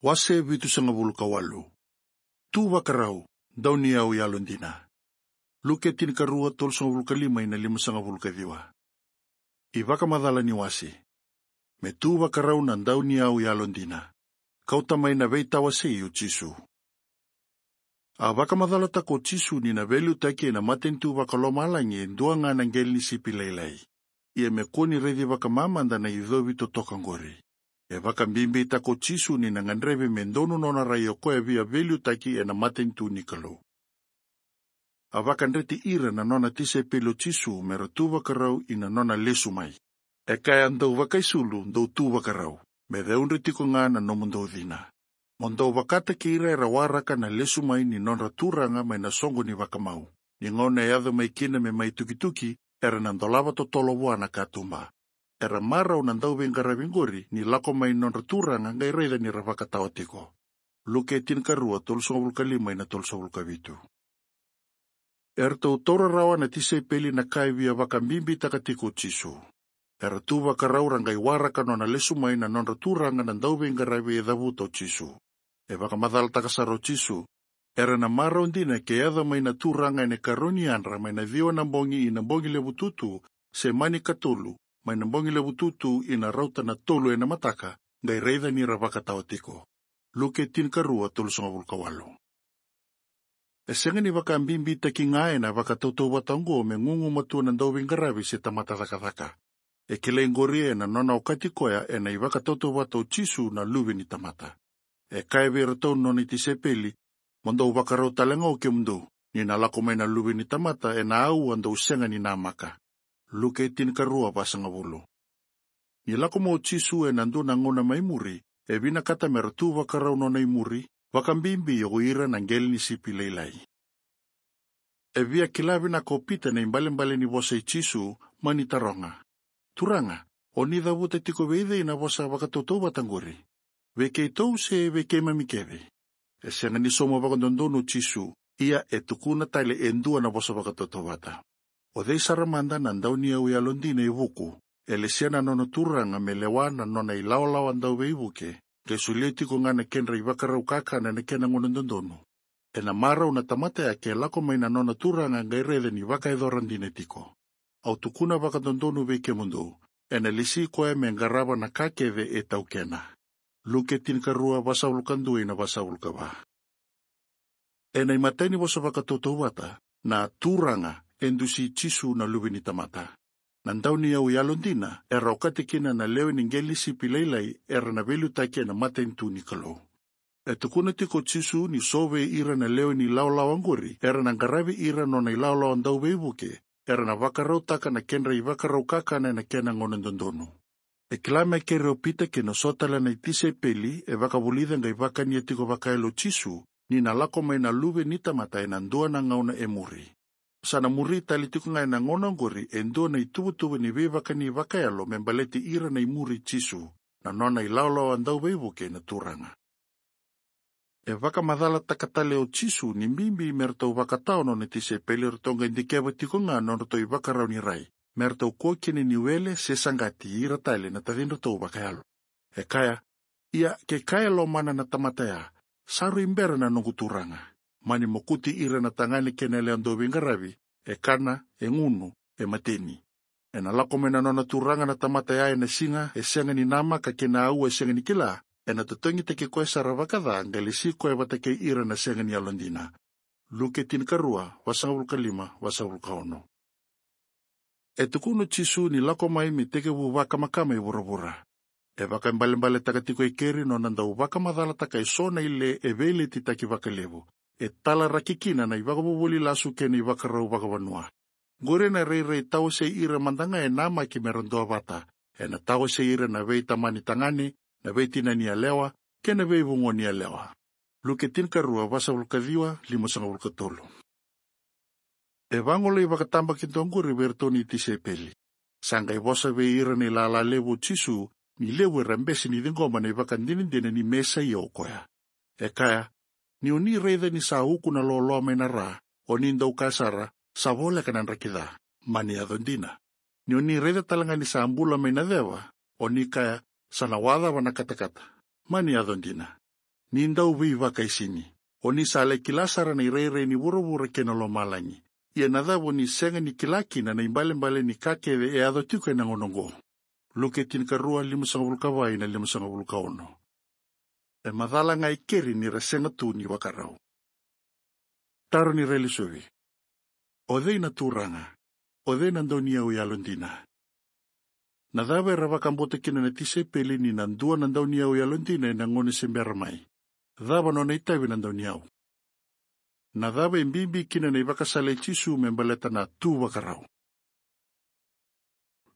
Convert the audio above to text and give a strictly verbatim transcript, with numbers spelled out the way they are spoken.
Wase vitusagavulu ka walu. Tu vakarau, dauniyau yalodina. Luke tinikarua, tolusagavulu ka lima ina limasagavulu ka ciwa. iVakamacala ni wase. Me tu vakarau na dauniyau yalodina. Kauta mai na veitawasei o Jisu. A vakamacalataka o Jisu ni na veiliutaki ena matanitu vakalomalagi e dua ga na qele ni sipi lailai. Ia me kua ni raici vakamamada na icovi totoka qori. E vakabibitaka o Jisu ni na gadrevi me donu nona rai o koya via veiliutaki ena matanitu ni Kalou. A vakadreti ira na nona tisaipeli o Jisu me ra tu vakarau ina nona lesu mai. E kaya, dou vakaisulu, dou tu vakarau, me ceudre tiko ga na nomudou cina. Mo dou vakataki ira era waraka na lesu mai ni nodra Turaga mai na soqo ni vakamau. Ni gauna e yaco mai kina me mai tukituki, era na dolava totolo vua na katuba. Era marau na dauveiqaravi qori ni lako mai nodra Turaga qai raica ni ra vakatawa tiko. Luke tinikarua, tolusagavulu ka lima ina tolusagavulu ka vitu. Eratou taura rawa na tisaipeli na ka e via vakabibitaka tiko o Jisu. Era tu vakarau ra qai waraka nona lesu mai na nodra Turaga na dauveiqaravi e cavuta o Jisu. E vakamacalataka sara o Jisu, era na marau dina ke yaco mai na Turaga ena ikarua ni yadra mai na ciwa na bogi ina bogi levu tutu, se mani katolu mai na bogi levu tutu ina rauta na tolu ena mataka, qai raica ni ra vakatawa tiko. Luke tinikarua, tolusagavulu ka walu. E sega ni vakabibitaki ga ena vakatautauvata oqo me gugumatua na dauveiqaravi se tamata cakacaka. E kilai qori ena nona okati koya ena ivakatautauvata o Jisu na Luve ni tamata. E kaya vei iratou na nona itisaipeli, mo dou vakarau tale ga o kemudou, ni na lako mai na Luve ni tamata ena aua dou sega ni namaka. Luke tinikarua, vasagavulu. Ni lako mai o Jisu ena dua na gauna mai muri, e vinakata mera tu vakarau nona imuri, vakabibi o ira na qele ni sipi lailai. E via kila vinaka o Pita na ibalebale ni vosa i Jisu, mani taroga, Turaga, o ni cavuta tiko vei cei na vosa vakatautauvata qori? Vei keitou se vei keimami kece? E sega ni sauma vakadodonu o Jisu, ia e tukuna tale e dua na vosa vakatautauvata. O cei sara mada na dauniyau yalodina e vuku, e lesia na nona Turaga me lewa na nona ilawalawa dauveivuke, qai solia tiko ga na kedra ivakarau kakana ena kena gauna dodonu? Ena marau na tamata ya ke lako mai na nona Turaga qai raica ni vakayacora dina tiko. Au tukuna vakadodonu vei kemudou, ena lesi koya me qarava na ka kece e taukena. Luke tinikarua, vasagavulu ka dua ina vasagavulu ka va. Ena imatai ni vosa vakatautauvata, na Turaga, e dusi Jisu na Luve ni tamata. Na dauniyau yalodina era okati kina na lewe ni qele ni sipi lailai era na veiliutaki ena matanitu ni Kalou. E tukuna tiko o Jisu ni so vei ira na lewe ni ilawalawa qori era na qaravi ira nona ilawalawa dauveivuke, era na vakarautaka na kedra ivakarau kakana ena kena gauna dodonu. E kila me kere o Pita kei na so tale na itisaipeli e vakavulica qai vakania tiko vakayalo o Jisu, ni na lako mai na Luve ni tamata ena dua na gauna e muri. Sa na muri tale tiko ga ena gauna oqori e dua na ituvatuva ni veivakani vakayalo me baleti ira na imuri Jisu, na nona ilawalawa dauveivuke na Turaga. E vakamacalataka tale o Jisu ni bibi me ratou vakatawa nona tisaipeli ratou qai dikeva tiko ga nodratou ivakarau ni rai, me ratou kua kina ni wele se saqati ira tale na tacidratou vakayalo. E kaya, ia ke kaya e lomana na tamata ya, sa rui bera na noqu Turaga, mani mokuti ira na tagane kei na yalewa dauveiqaravi, e kana, e gunu, e mateni. Ena lako mai na nona Turaga na tamata ya ena siga e sega ni namaka kei na aua e sega ni kila, ena totogitaki koya sara vakaca qai lesi koya vata kei ira na sega ni yalodina. Luke tinikarua, vasagavulu ka lima, vasagavulu ka ono. E tukuna o Jisu ni lako mai me tekivu vakamakama i vuravura. E vakaibalebaletaka tiko e keri nona dau vakamacalataka e so na ile e veiletitaki vakalevu, e talaraki kina na ivakavuvuli lasu kei na ivakarau vakavanua. Qori ena rairai tawasei ira mada ga e namaki mera duavata, ena tawasei ira na veitamani tagane, na veitinani yalewa, kei na veivugoni yalewa. Luke tinikarua, vasagavulu ka ciwa, limasagavulu ka tolu. E vagolei vakatabakidua qori vei iratou na itisaipeli. Sa qai vosa vei ira na ilala levu o Jisu, ni levu era bese ni ciqoma na ivakadinadina ni Mesaia o koya. E kaya, ni o ni raica ni sa uku na loaloa mai na ra, o ni dau kaya sara, sa voleka na draki ca, mani yaco dina. Ni o ni raica tale ga ni sa bula mai na ceva, o ni kaya, sa na wacava na katakata, mani yaco dina. ni dau veivakaisini. O ni sa lai kila sara na irairai ni vuravura kei na lomalagi. Ia na cava o ni sega ni kila kina na ibalebale ni ka kece e yaco tiko ena gauna oqo? Luke tinikarua, limasagavulu ka va ina limasagavulu ka ono. E macala ga e keri ni ra sega tu ni vakarau. Taro ni railesuvi. O cei na turaga? O cei na dauniyau yalodina? Na cava era vakabauta kina na tisaipeli ni na dua na dauniyau yalodina ena gauna se bera mai? Cava nona itavi na dauniyau? Na cava e bibi kina na ivakasala i Jisu me baleta na tu vakarau?